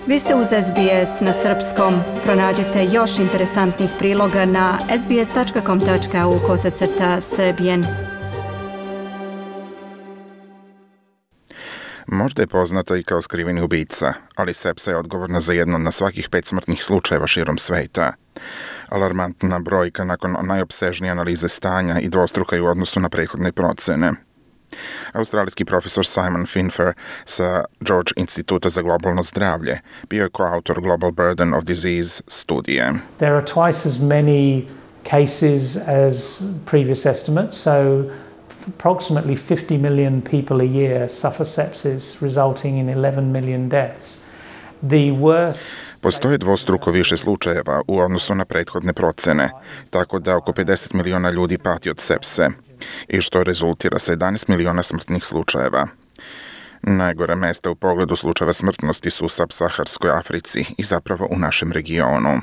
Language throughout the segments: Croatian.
Vi ste uz SBS na srpskom. Pronađite još interesantnih priloga na sbs.com.au/srbijen. Možda je poznata i kao skriveni ubica, ali sepsa je odgovorna za jedno na svakih 5 smrtnih slučajeva širom sveta. Alarmantna brojka nakon najopsežnije analize stanja i dvostruka je u odnosu na prethodne procene. Australijski profesor Simon Finfer sa George Instituta za globalno zdravlje bio je koautor Global Burden of Disease studije. There are twice as many cases as previous estimates, so approximately 50 million people a year suffer sepsis, resulting in 11 million deaths. Postoje dvostruko više slučajeva u odnosu na prethodne procene, tako da oko 50 miliona ljudi pati od sepse, i što rezultira sa 11 miliona smrtnih slučajeva. Najgore mesta u pogledu slučajeva smrtnosti su u subsaharskoj Africi i zapravo u našem regionu.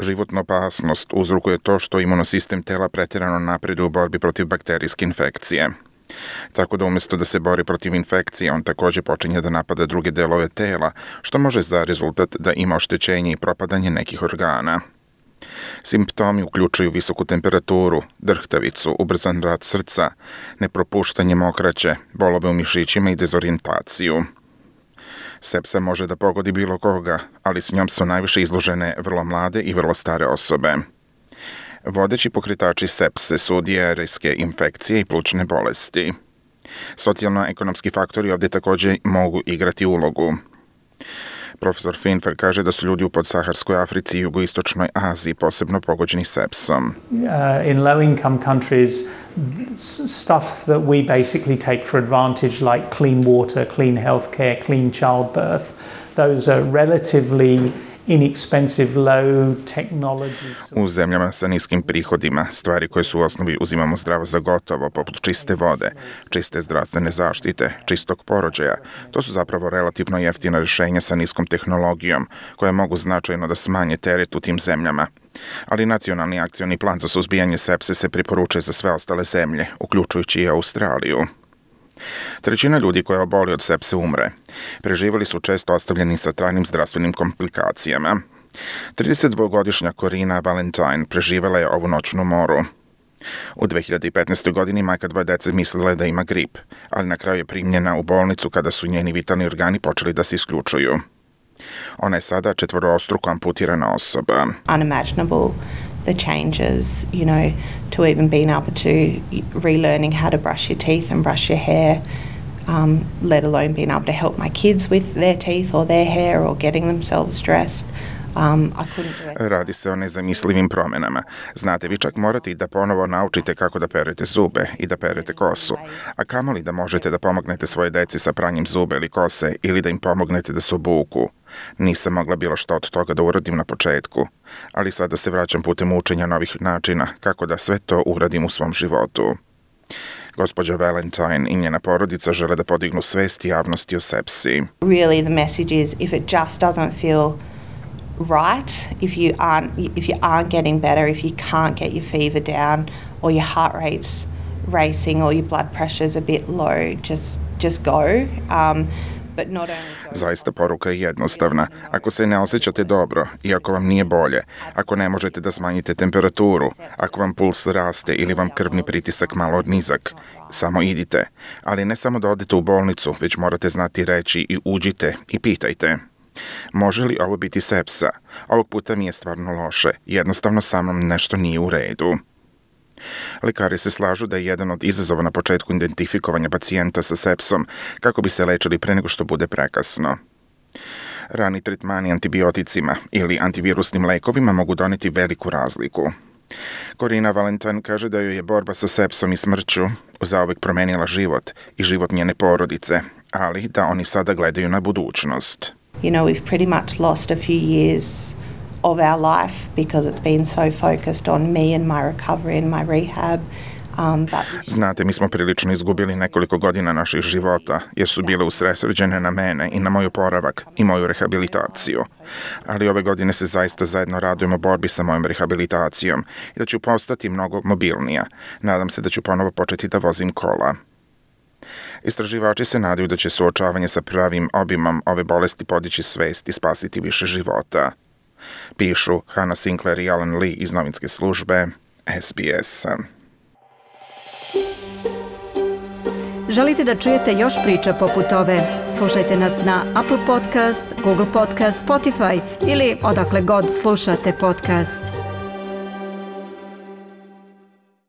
Životnu opasnost uzrokuje to što imunosistem tela pretjerano napreduje u borbi protiv bakterijske infekcije. Tako da umjesto da se bori protiv infekcije, on također počinje da napada druge delove tela, što može za rezultat da ima oštećenje i propadanje nekih organa. Simptomi uključuju visoku temperaturu, drhtavicu, ubrzan rad srca, nepropuštanje mokraće, bolove u mišićima i dezorijentaciju. Sepsa može da pogodi bilo koga, ali s njom su najviše izložene vrlo mlade i vrlo stare osobe. Vodeći pokretači sepse su dijarijske infekcije i plućne bolesti. Socijalno-ekonomski faktori ovdje također mogu igrati ulogu. Profesor Finfer kaže da su ljudi u podsaharskoj Africi i jugoistočnoj Aziji posebno pogođeni sepsom. In low-income countries, stuff that we basically take for advantage, like clean water, clean healthcare, clean childbirth, those are relatively inexpensive, low technology. U zemljama sa niskim prihodima, stvari koje su u osnovi uzimamo zdravo za gotovo, poput čiste vode, čiste zdravstvene zaštite, čistog porođaja, to su zapravo relativno jeftina rješenja sa niskom tehnologijom, koje mogu značajno da smanje teret u tim zemljama. Ali nacionalni akcioni plan za suzbijanje sepse se preporučuje za sve ostale zemlje, uključujući i Australiju. Trećina ljudi koja oboli od sepse umre. Preživjeli su često ostavljeni sa trajnim zdravstvenim komplikacijama. 32-godišnja Corina Valentine preživjela je ovu noćnu moru. U 2015. godini majka 2 dece mislila je da ima grip, ali na kraju je primljena u bolnicu kada su njeni vitalni organi počeli da se isključuju. Ona je sada 4-struko amputirana osoba. Unimaginable the changes, to even being able to relearning how to brush your teeth and brush your hair, let alone being able to help my kids with their teeth or their hair or getting themselves dressed. Radi se o nezamislivim promjenama. Znate, vi čak morate i da ponovo naučite kako da perete zube i da perete kosu. A kamoli da možete da pomognete svoje deci sa pranjem zube ili kose ili da im pomognete da se obuku. Nisam mogla bilo što od toga da uradim na početku, ali sada se vraćam putem učenja novih načina kako da sve to uradim u svom životu. Gospođa Valentine i njena porodica žele da podignu svest javnosti o sepsi. Really the message is if it just doesn't feel right, if you aren't getting better, if you can't get your fever down or your heart rate's racing or your blood pressure's a bit low, just go. But not only Zaista poruka je jednostavna. Ako se ne osjećate dobro i ako vam nije bolje, ako ne možete da smanjite temperaturu, ako vam puls raste ili vam krvni pritisak malo nizak, samo idite. Ali ne samo da odete u bolnicu, već morate znati reći i uđite i pitajte. Može li ovo biti sepsa? Ovog puta mi je stvarno loše. Jednostavno sa mnom nešto nije u redu. Lekari se slažu da je jedan od izazova na početku identifikovanja pacijenta sa sepsom kako bi se lečili pre nego što bude prekasno. Rani tretmani antibioticima ili antivirusnim lekovima mogu doneti veliku razliku. Corina Valentine kaže da joj je borba sa sepsom i smrću zauvek promenila život i život njene porodice, ali da oni sada gledaju na budućnost. We've pretty much lost a few years of our life because it's been so focused on me and my recovery and my rehab. Znate, mi smo prilično izgubili nekoliko godina naših života, jer su bile usredsređene na mene i na moj oporavak i moju rehabilitaciju. Ali ove godine se zaista zajedno radujemo borbi sa mojom rehabilitacijom i da ću postati mnogo mobilnija. Nadam se da ću ponovo početi da vozim kola. Istraživači se nadaju da će suočavanje sa pravim obimom ove bolesti podići svest i spasiti više života. Pišu Hannah Sinclair i Alan Lee iz novinske službe SBS. Želite da čujete još priča poput ove? Slušajte nas na Apple Podcast, Google Podcast, Spotify ili odakle god slušate podcast.